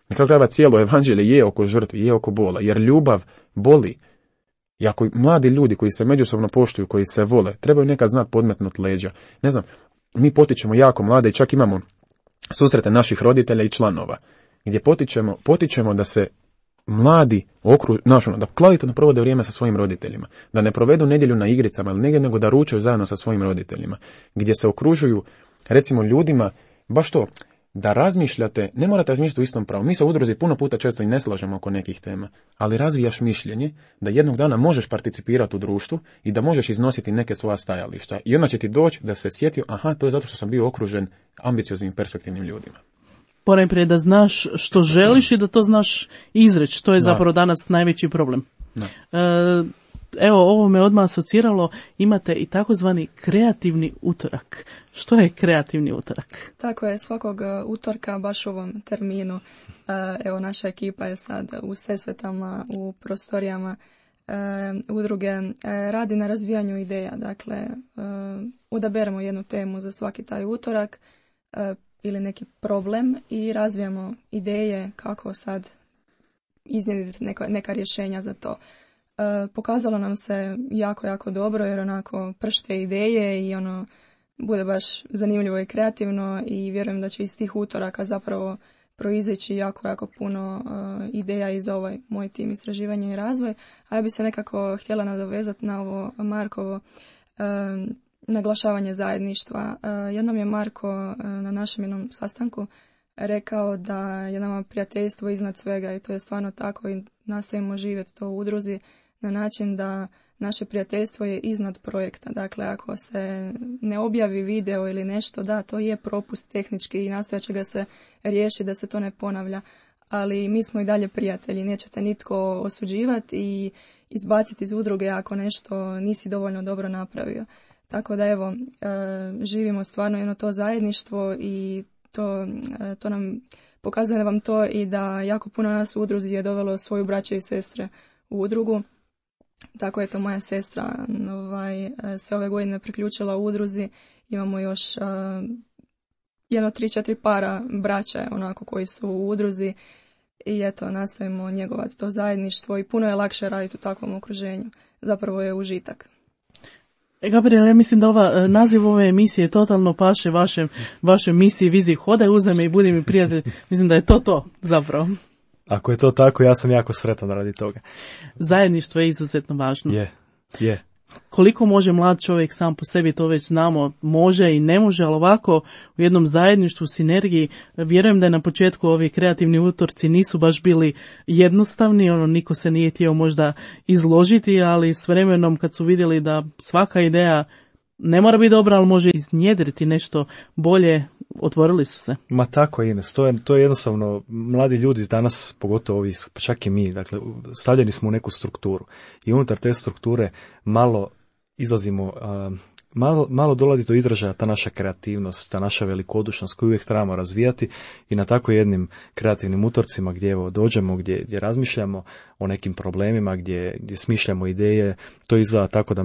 Na kraju krajeva cijelo evanđelje je oko žrtvi, je oko bola, jer ljubav boli. I ako mladi ljudi koji se međusobno poštuju, koji se vole, trebaju nekad znati podmetnuti leđa. Ne znam, mi potičemo jako mlade i čak imamo susrete naših roditelja i članova, gdje potičemo da se mladi da kvalitetno provode vrijeme sa svojim roditeljima, da ne provedu nedjelju na igricama ili negdje, nego da ručaju zajedno sa svojim roditeljima, gdje se okružuju, recimo, ljudima, baš to, da razmišljate, ne morate razmišljati u istom pravu. Mi se u udruzi puno puta često i ne slažemo oko nekih tema, ali razvijaš mišljenje da jednog dana možeš participirati u društvu i da možeš iznositi neke svoja stajališta. I onda će ti doći da se sjetio, to je zato što sam bio okružen ambicioznim, perspektivnim ljudima. Ponajprije da znaš što želiš i da to znaš izreći. To je zapravo danas najveći problem. Evo, ovo me odmah asociralo, imate i takozvani kreativni utorak. Što je kreativni utorak? Tako je, svakog utorka, baš u ovom terminu, evo, naša ekipa je sad u Sesvetama, u prostorijama udruge, radi na razvijanju ideja. Dakle, odaberemo jednu temu za svaki taj utorak ili neki problem i razvijamo ideje kako sad iznjediti neka rješenja za to. Pokazalo nam se jako, jako dobro jer onako pršte ideje i ono bude baš zanimljivo i kreativno i vjerujem da će iz tih utoraka zapravo proizići jako, jako puno ideja i za ovaj moj tim istraživanja i razvoj. A ja bi se nekako htjela nadovezati na ovo Markovo naglašavanje zajedništva. Jednom je Marko na našem jednom sastanku rekao da je nama prijateljstvo iznad svega i to je stvarno tako i nastojimo živjeti to u udruzi na način da naše prijateljstvo je iznad projekta. Dakle, ako se ne objavi video ili nešto, da, to je propust tehnički i nastojat će ga se riješiti da se to ne ponavlja. Ali mi smo i dalje prijatelji, nećete nitko osuđivati i izbaciti iz udruge ako nešto nisi dovoljno dobro napravio. Tako da evo, živimo stvarno jedno to zajedništvo i to nam pokazuje vam to i da jako puno nas u udruzi je dovelo svoju braću i sestre u udrugu. Tako je to moja sestra se ove godine priključila u udruzi. Imamo još 3-4 para braća onako koji su u udruzi i eto nastojimo njegovati to zajedništvo i puno je lakše raditi u takvom okruženju. Zapravo je užitak. Gabriel, ja mislim da naziv ove emisije totalno paše vašoj misiji, viziji Hodaj uza me i budi mi prijatelj. Mislim da je to zapravo. Ako je to tako, ja sam jako sretan radi toga. Zajedništvo je izuzetno važno. Je. Koliko može mlad čovjek sam po sebi, to već znamo, može i ne može, ali ovako u jednom zajedništvu, sinergiji, vjerujem da je na početku ovi kreativni utorci nisu baš bili jednostavni, niko se nije htio možda izložiti, ali s vremenom kad su vidjeli da svaka ideja ne mora biti dobra, ali može iznjedriti nešto bolje, otvorili su se. Ma tako je, Ines, to je jednostavno, mladi ljudi danas, pogotovo ovi, čak i mi, dakle, stavljeni smo u neku strukturu i unutar te strukture malo izlazimo, malo dolazi do izražaja ta naša kreativnost, ta naša velikodušnost koju uvijek trebamo razvijati i na tako jednim kreativnim utorcima gdje dođemo, gdje razmišljamo o nekim problemima, gdje smišljamo ideje, to izgleda tako da,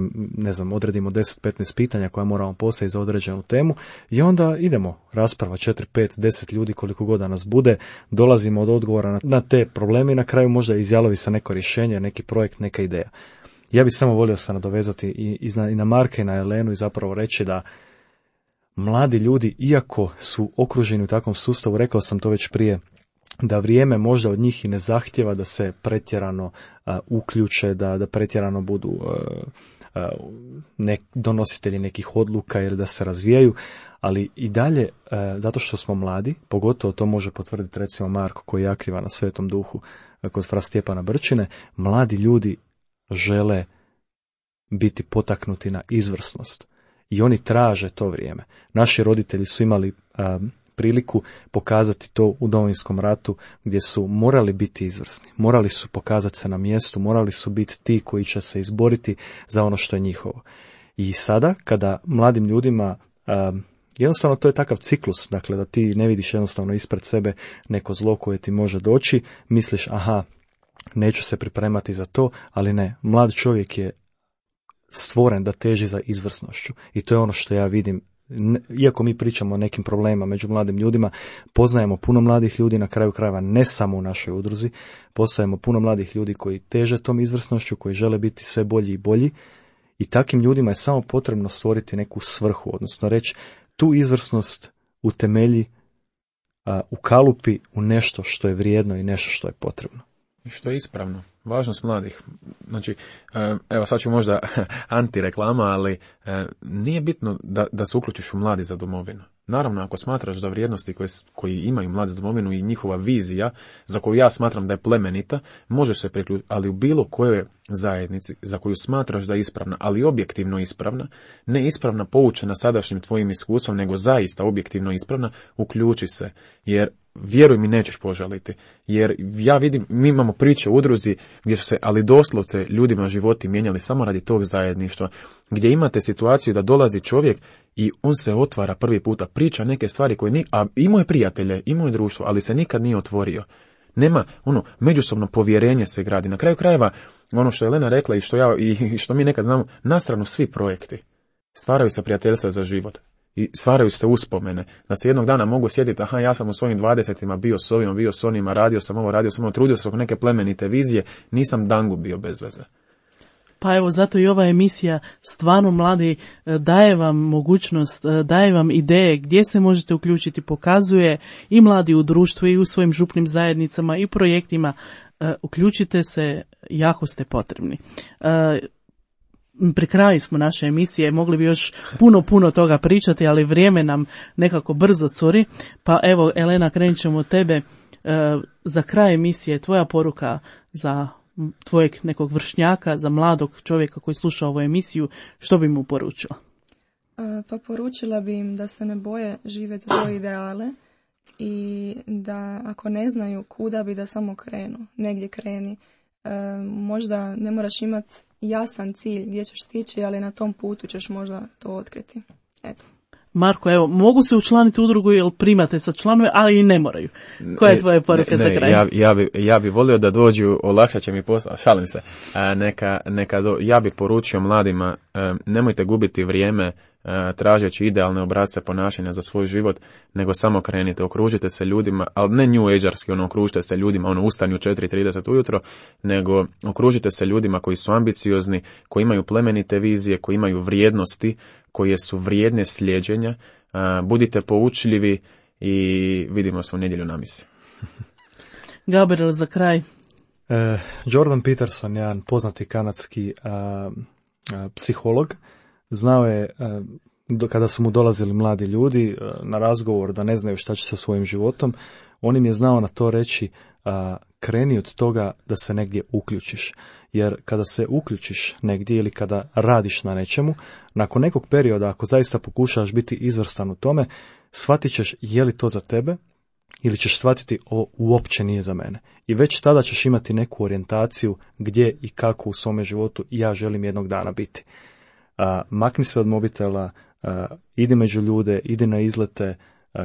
odredimo 10-15 pitanja koja moramo postaviti za određenu temu i onda idemo, rasprava 4, 5, 10 ljudi koliko god da nas bude, dolazimo od odgovora na te probleme i na kraju možda izjalovi sa neko rješenje, neki projekt, neka ideja. Ja bih samo volio se nadovezati i na Marka i na Elenu i zapravo reći da mladi ljudi, iako su okruženi u takvom sustavu, rekao sam to već prije, da vrijeme možda od njih i ne zahtjeva da se pretjerano uključe, da pretjerano budu donositelji nekih odluka ili da se razvijaju, ali i dalje, zato što smo mladi, pogotovo to može potvrditi recimo Marko koji je aktivan na Svetom Duhu kod fra Stjepana Brčine, mladi ljudi žele biti potaknuti na izvrsnost i oni traže to vrijeme. Naši roditelji su imali priliku pokazati to u Domovinskom ratu gdje su morali biti izvrsni, morali su pokazati se na mjestu, morali su biti ti koji će se izboriti za ono što je njihovo. I sada kada mladim ljudima jednostavno to je takav ciklus, dakle da ti ne vidiš jednostavno ispred sebe neko zlo koje ti može doći, misliš aha, neću se pripremati za to, ali ne, mlad čovjek je stvoren da teži za izvrsnošću i to je ono što ja vidim. Iako mi pričamo o nekim problemima među mladim ljudima, poznajemo puno mladih ljudi, na kraju krajeva ne samo u našoj udruzi, poznajemo puno mladih ljudi koji teže tom izvrsnošću, koji žele biti sve bolji i bolji i takim ljudima je samo potrebno stvoriti neku svrhu, odnosno reći tu izvrsnost utemelji, ukalupi u nešto što je vrijedno i nešto što je potrebno. I što je ispravno. Važnost mladih. Znači, evo sad ću možda antireklama, ali nije bitno da se uključiš u Mladi za domovinu. Naravno, ako smatraš da vrijednosti koji imaju Mladi za domovinu i njihova vizija, za koju ja smatram da je plemenita, možeš se priključiti, ali u bilo kojoj zajednici za koju smatraš da je ispravna, ali objektivno ispravna, ne ispravna poučena sadašnjim tvojim iskustvom, nego zaista objektivno ispravna, uključi se, jer vjeruj mi, nećeš požaliti. Jer ja vidim, mi imamo priče u udruzi gdje su se, ali doslovce, ljudima životi mijenjali samo radi tog zajedništva, gdje imate situaciju da dolazi čovjek i on se otvara prvi puta, priča neke stvari koje a imao je prijatelje, imao je društvo, ali se nikad nije otvorio. Nema, međusobno povjerenje se gradi. Na kraju krajeva, ono što je Elena rekla i što mi nekad znamo, na stranu svi projekti stvaraju se prijateljstva za život. I stvaraju se uspomene, da se jednog dana mogu sjetiti, aha, ja sam u svojim 20-ima bio s ovim, bio s onima, radio sam ovo, trudio sam oko neke plemenite vizije, nisam dangu bio bez veze. Pa evo, zato i ova emisija stvarno mladi daje vam mogućnost, daje vam ideje gdje se možete uključiti, pokazuje i mladi u društvu i u svojim župnim zajednicama i projektima. Uključite se, jako ste potrebni. Pri kraju smo naše emisije, mogli bi još puno toga pričati, ali vrijeme nam nekako brzo curi. Pa evo, Elena, krenut ćemo od tebe. Za kraj emisije, tvoja poruka za tvojeg nekog vršnjaka, za mladog čovjeka koji sluša ovu emisiju, što bi mu poručila? Pa poručila bi im da se ne boje živjeti svoje ideale i da ako ne znaju kuda bi, da samo krenu, negdje kreni. Možda ne moraš imati jasan cilj gdje ćeš stići, ali na tom putu ćeš možda to otkriti. Eto. Marko, evo, mogu se učlaniti u udrugu jer primate sa članove, ali i ne moraju. Koja je tvoja poruka za kraj? Ja bi volio da dođu, olakšat će mi posao, šalim se. Ja bi poručio mladima, nemojte gubiti vrijeme tražeći idealne obrasce ponašanja za svoj život, nego samo krenite, okružite se ljudima, ali ne new agearski, okružite se ljudima, ustanju 4:30 ujutro, nego okružite se ljudima koji su ambiciozni, koji imaju plemenite vizije, koji imaju vrijednosti, koje su vrijedne slijeđenja, budite poučljivi i vidimo se u nedjelju na misi. Gabriel, za kraj. Jordan Peterson, jedan poznati kanadski psiholog, znao je kada su mu dolazili mladi ljudi na razgovor da ne znaju šta će sa svojim životom, on im je znao na to reći kreni od toga da se negdje uključiš. Jer kada se uključiš negdje ili kada radiš na nečemu, nakon nekog perioda, ako zaista pokušaš biti izvrstan u tome, shvatit ćeš je li to za tebe ili ćeš shvatiti ovo uopće nije za mene. I već tada ćeš imati neku orijentaciju gdje i kako u svome životu ja želim jednog dana biti. Makni se od mobitela, idi među ljude, idi na izlete,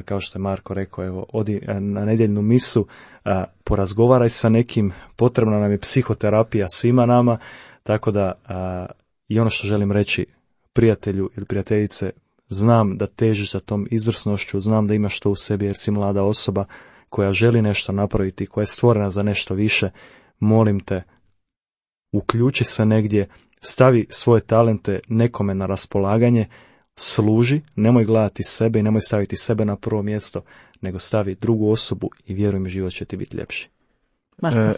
kao što je Marko rekao, evo, odi na nedjeljnu misu, porazgovaraj sa nekim, potrebna nam je psihoterapija svima nama, tako da i ono što želim reći prijatelju ili prijateljice, znam da težiš za tom izvrsnošću, znam da imaš to u sebi jer si mlada osoba koja želi nešto napraviti, koja je stvorena za nešto više, molim te, uključi se negdje, stavi svoje talente nekome na raspolaganje, služi, nemoj gledati sebe i nemoj staviti sebe na prvo mjesto, nego stavi drugu osobu i vjeruj mi, život će ti biti ljepši.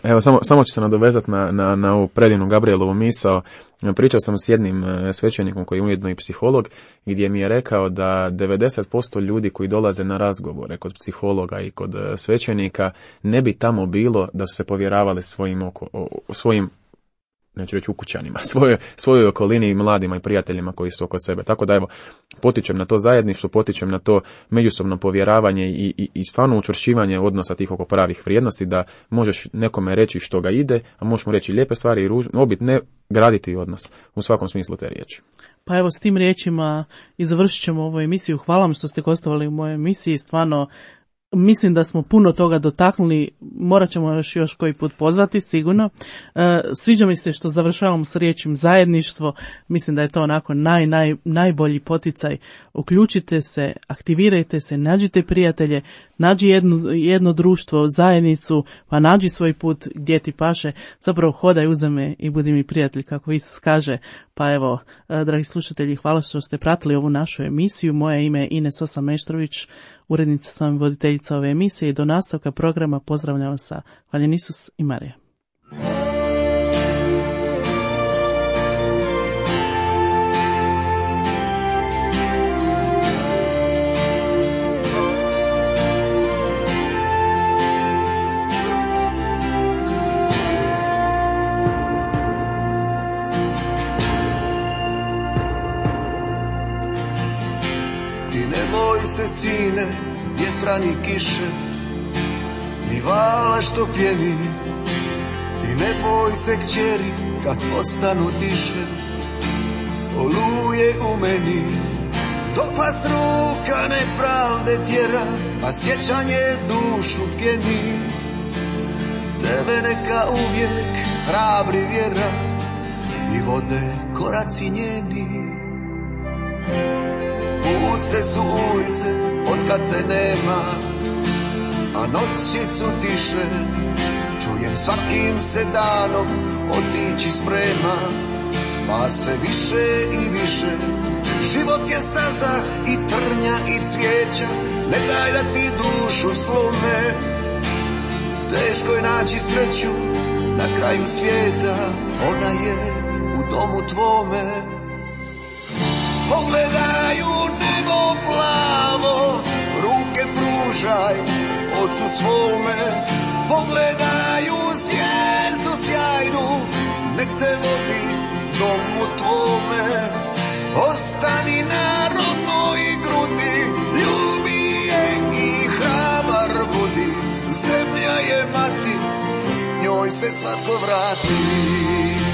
Evo, samo ću se nadovezati na ovu predivnu Gabrielovu misao. Pričao sam s jednim svećenikom koji je ujedno i psiholog, gdje mi je rekao da 90% ljudi koji dolaze na razgovore kod psihologa i kod svećenika ne bi tamo bilo da su se povjeravali svojim neću reći ukućanima, svojoj okolini i mladima i prijateljima koji su oko sebe. Tako da evo, potičem na to zajedništvo, potičem na to međusobno povjeravanje i stvarno učvršćivanje odnosa tih oko pravih vrijednosti, da možeš nekome reći što ga ide, a možeš mu reći lijepe stvari i ne graditi odnos u svakom smislu te riječi. Pa evo, s tim riječima i završit ćemo ovu emisiju. Hvala vam što ste gostovali u mojoj emisiji, stvarno mislim da smo puno toga dotaknuli, morat ćemo još koji put pozvati, sigurno. Sviđa mi se što završavamo s riječim zajedništvo, mislim da je to onako najbolji poticaj. Uključite se, aktivirajte se, nađite prijatelje, nađi jedno društvo, zajednicu, pa nađi svoj put gdje ti paše, zapravo hodaj uza me i budi mi prijatelj, kako Isus kaže. Pa evo, dragi slušatelji, hvala što ste pratili ovu našu emisiju. Moje ime je Ines Osa-Meštrović, urednica sam i voditeljica ove emisije i do nastavka programa pozdravljam vas sa Hvaljen Isus i Marija. Se sine, vjetra ni kiše, ni vala što pjeni. Ti ne boj se kćeri, kad postanu tiše, oluje u meni. Dok vas ruka nepravde tjera, a sjećanje dušu pjeni. Tebe neka uvijek hrabri vjera i vode koraci njeni. Puste su ulice otkad te nema, a noći su tiše. Čujem svakim se danom otići sprema. pa sve više i više. Život je staza i trnja i cvijeća, ne daj da ti dušu slome. Teško je naći sreću na kraju svijeta, ona je u domu tvome. Pogledaj u nebo plavo, ruke pružaj ocu svome. Pogledaj u zvijezdu sjajnu, nek te vodi domu tvome. Ostani na rodnoj grudi, ljubi je i hrabar budi. Zemlja je mati, njoj se svatko vrati.